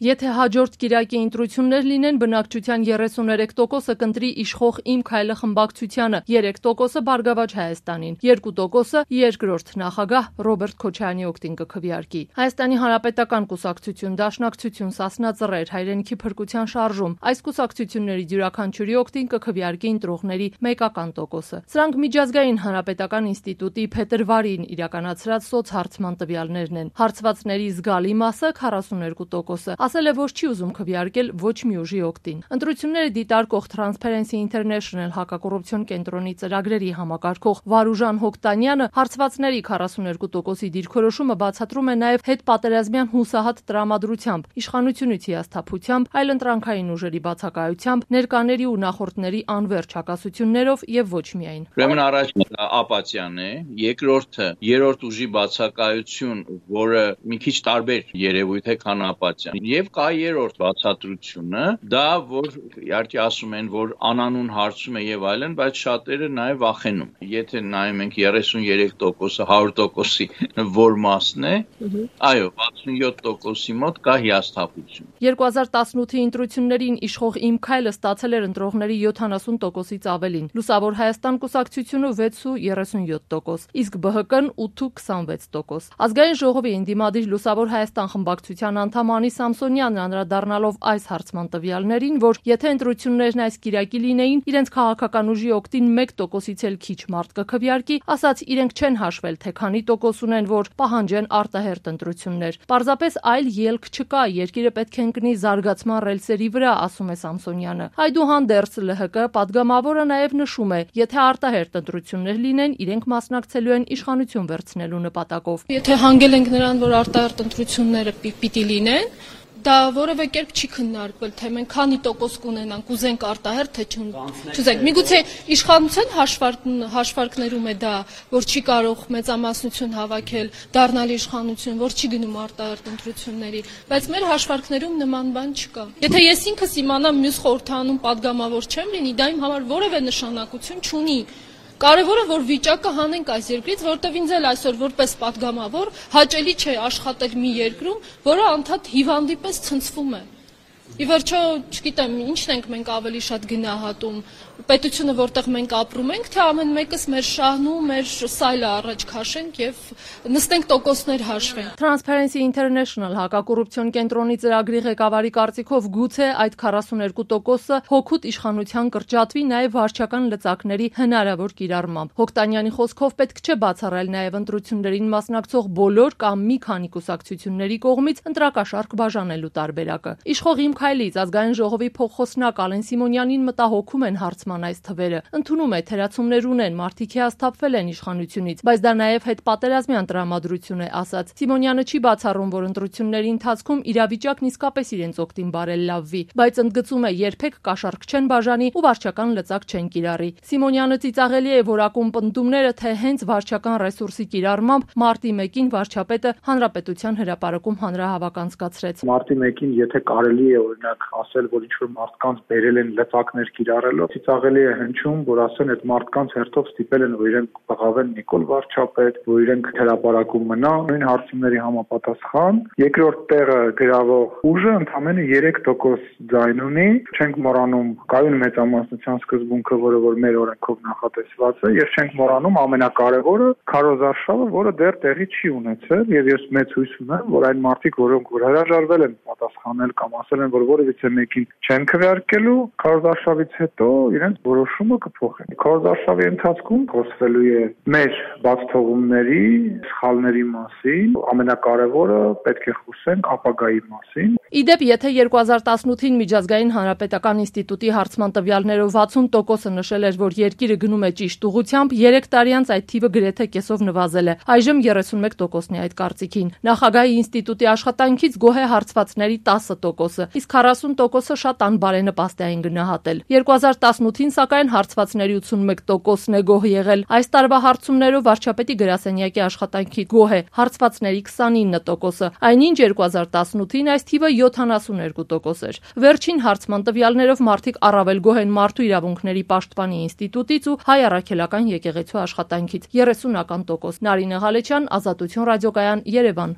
Եթե հաջորդ կիրակի ընտրություններ լինեն, բնակչության 33%-ը կընտրի իշխող «Իմ քայլը» խմբակցությանը, 3%-ը Բարգավաճ Հայաստանին, 2%-ը երկրորդ նախագահ Ռոբերտ Քոչարյանի օգտին կքվեարկի։ Հայաստանի Հանրապետական կուսակցություն, Դաշնակցություն, Սասնա Ծռեր, Հայրենիքի փրկության շարժում այս կուսակցությունների յուրաքանչյուրի օգտին կքվեարկի ընտրողների մեկական տոկոսը։ Սրանք միջազգային հանրապետական ինստիտուտի փետրվարին իրականացրած սոցհարցման տվյալներն են։ Հարցվածների զգալի մասը 42%-ը ասել է, որ չի ուզում քվեարկել ոչ մի ուժի օգտին։ Ընտրությունները դիտարկող Transparency International հակակոռուպցիոն կենտրոնի ծրագրերի համակարգող Վարուժան Հոկտանյանը հարցվածների 42%-ի դիրքորոշումը բացատրում է նաև հետպատերազմյան հուսահատ տրամադրությամբ, իշխանությունից հիասթափությամբ, այլընտրանքային ուժերի բացակայությամբ, ներկաների ու նախորդների անվերջ հակասություններով եւ ոչ միայն։ Ուրեմն առաջինը ապաթիան է, երկրորդը երրորդ ուժի բացակայություն, որը մի քիչ տարբեր երևույթ է, քան ապաթիան։ Եվ կա երրորդ բացատրությունը, դա որ իհարկե ասում են, որ անանուն հարցում է եւ այլն, բայց շատերը նաեւ վախենում։ Եթե նայում ենք 33%-ը 100%-ի որ մասն է, այո, 67%-ի մոտ կա հիասթափություն։ 2018-ի ընտրություններին իշխող «Իմ քայլը» ստացել էր ընտրողների 70%-ից ավելին, Լուսավոր Հայաստան կուսակցությունը 6.37%, իսկ ԲՀԿ-ն 8.26%։ Ազգային ժողովի ընդդիմադիր Լուսավոր Հայաստան խմբակցության անդամ Անի Սամսոնյանն անդրադառնալով այս հարցման տվյալներին, որ եթե ընտրություններն այս կիրակի լինեին, իրենց քաղաքական ուժի օգտին 1%-ից էլ քիչ մարդ կքվեարկի, ասաց իրենք չեն հաշվել, թե քանի տոկոս ունեն, որ պահանջեն արտահերթ ընտրություններ։ Պարզապես այլ ելք չկա, երկիրը պետք է ընկնի զարգացման ռելսերի վրա, ասում է Սամսոնյանը։ Այդուհանդերձ ԼՀԿ պատգամավորը նաև նշում է, եթե արտահերթ ընտրություններ լինեն, իրենք մասնակցելու են իշխանություն վերցնելու նպատակով։ Եթե հանգել ենք նրան, որ արտահերթ ընտրությունները պիտի լինեն, դա որևէ կերպ չի քննարկվել, թե մենք քանի տոկոս կունենանք, ուզենք արտահերթ, թե չուզենք։ Միգուցե իշխանության հաշվարկներում է դա, որ չի կարող մեծամասնություն հավաքել, դառնալ իշխանություն, որ չի գնում արտահերթ ընտրությունների, բայց մեր հաշվարկներում նման բան չկա։ Եթե ես ինքս իմանամ մյուս խորհրդանում պատգամավոր չեմ լինի, դա իմ համար որևէ նշանակություն չունի։ Կարևորը որ վիճակը հանենք այս երկրից, որտեղ ինձ էլ այսօր որպես պատգամավոր հաճելի չէ աշխատել մի երկրում, որը անդադ հիվանդի պես ցնցվում է։ Ի վերջո, չգիտեմ, ինչն ենք մենք ավելի շատ գնահատում, պետությունը, որտեղ մենք ապրում ենք, թե ամեն մեկս մեր շահն ու մեր սայլը առաջ քաշենք եւ նստենք տոկոսներ հաշվենք։ Transparency International հակակոռուպցիոն կենտրոնի ծրագրի ղեկավարի կարծիքով գուցե այդ 42%-ը հօգուտ իշխանության կրճատվի նաև վարչական լծակների հնարավոր կիրառմամբ։ Հոկտանյանի խոսքով պետք չէ բացառել նաև ընտրություններին մասնակցող բոլոր կամ մի քանի կուսակցությունների կողմից ընտրակաշառք բաժանելու տարբերակը։ Իշխող «Իմ քայլից» ազգային ժողովի փոխխոսնակ Ալեն Սիմոնյանին մտահոգում են հարցման այս թվերը։ Ընդունում է, թերացումներ ունեն, մարդիկ հիասթափվել են իշխանությունից, բայց դա նաև հետպատերազմյան տրամադրություն է, ասաց։ Սիմոնյանը չի բացառում, որ ընտրությունների ընթացքում իրավիճակն իսկապես իրենց օգտին բարելավվի, բայց ընդգծում է, երբեք կաշառք չեն բաժանի ու վարչական լծակ չեն կիրառի։ Սիմոնյանը ծիծաղելի է որակում պնդումները, թե հենց վարչական ռեսուրսի կիրառմամբ մարտի 1-ին վարչապետը հանրապետության հրապարակում հանրահավաք անցկացրեց։ Մարտի 1-ին եթե կարելի է օրինակ ասել, որ ինչ-որ մարդկանց բերել են լծակներ կիրառելով, ծիծաղելի է հնչում, որ ասեն այդ մարդկանց հերթով ստիպել են, որ իրենք բղավեն Նիկոլ վարչապետ, որ իրենք հրապարակում մնա, նույն հարցումների համապատասխան։ Երկրորդ տեղը գրավող ուժը ընդամենը 3% ձայն ունի, չենք մոռանում կայուն մեծամասնության սկզբունքը, որը որ մեր օրենքով նախատեսված է, եւ չենք մոռանում ամենակարևորը քարոզարշավը, որը դեռ տեղի չի ունեցել, եւ ես մեծ հույս ունեմ, որ այն մարդիկ, որոնք որ հրաժարվել են պատասխանել կամ ասել են, որ որևիցե մեկին չեն քվեարկելու, քարոզարշավից հետո իրենց որոշումը կփոխեն։ Քարոզարշավի ընթացքում խոսվելու է մեր բացթողումների, սխալների մասին, ամենակարևորը պետք է խոսենք ապագայի մասին։ Իդեպ, եթե 2018-ին միջազգային հանրապետական ինստիտուտի հարցման տվյալներով 60%-ը նշել էր, որ երկիրը գնում է ճիշտ ուղղությամբ, 3 տարի անց այդ թիվը գրեթե կեսով նվազել է։ Այժմ 31%-ն է այդ կարծիքին։ Նախագահի ինստիտուտի աշխատանքից գոհ է հարցվածների 10%-ը, իսկ 40%-ը շատ անբարենպաստ է այն գնահատել։ 2018-ին սակայն հարցվածների 81%-ն է գոհ եղել։ Այս տարվա հարցումներով վարչապետի գրասենյակի աշխատանքի գոհ է հարցվածների 29%-ը, այնինչ 2018-ին այս թիվը 72% էր։ Վերջին հարցման տվյալներով մարդիկ առավել գոհ են Մարդու իրավունքների պաշտպանի ինստիտուտից ու Հայ առաքելական եկեղեցու աշխատանքից 30%։ Նարինե Ղալեչյան, Ազատություն ռադիոկայան, Երևան։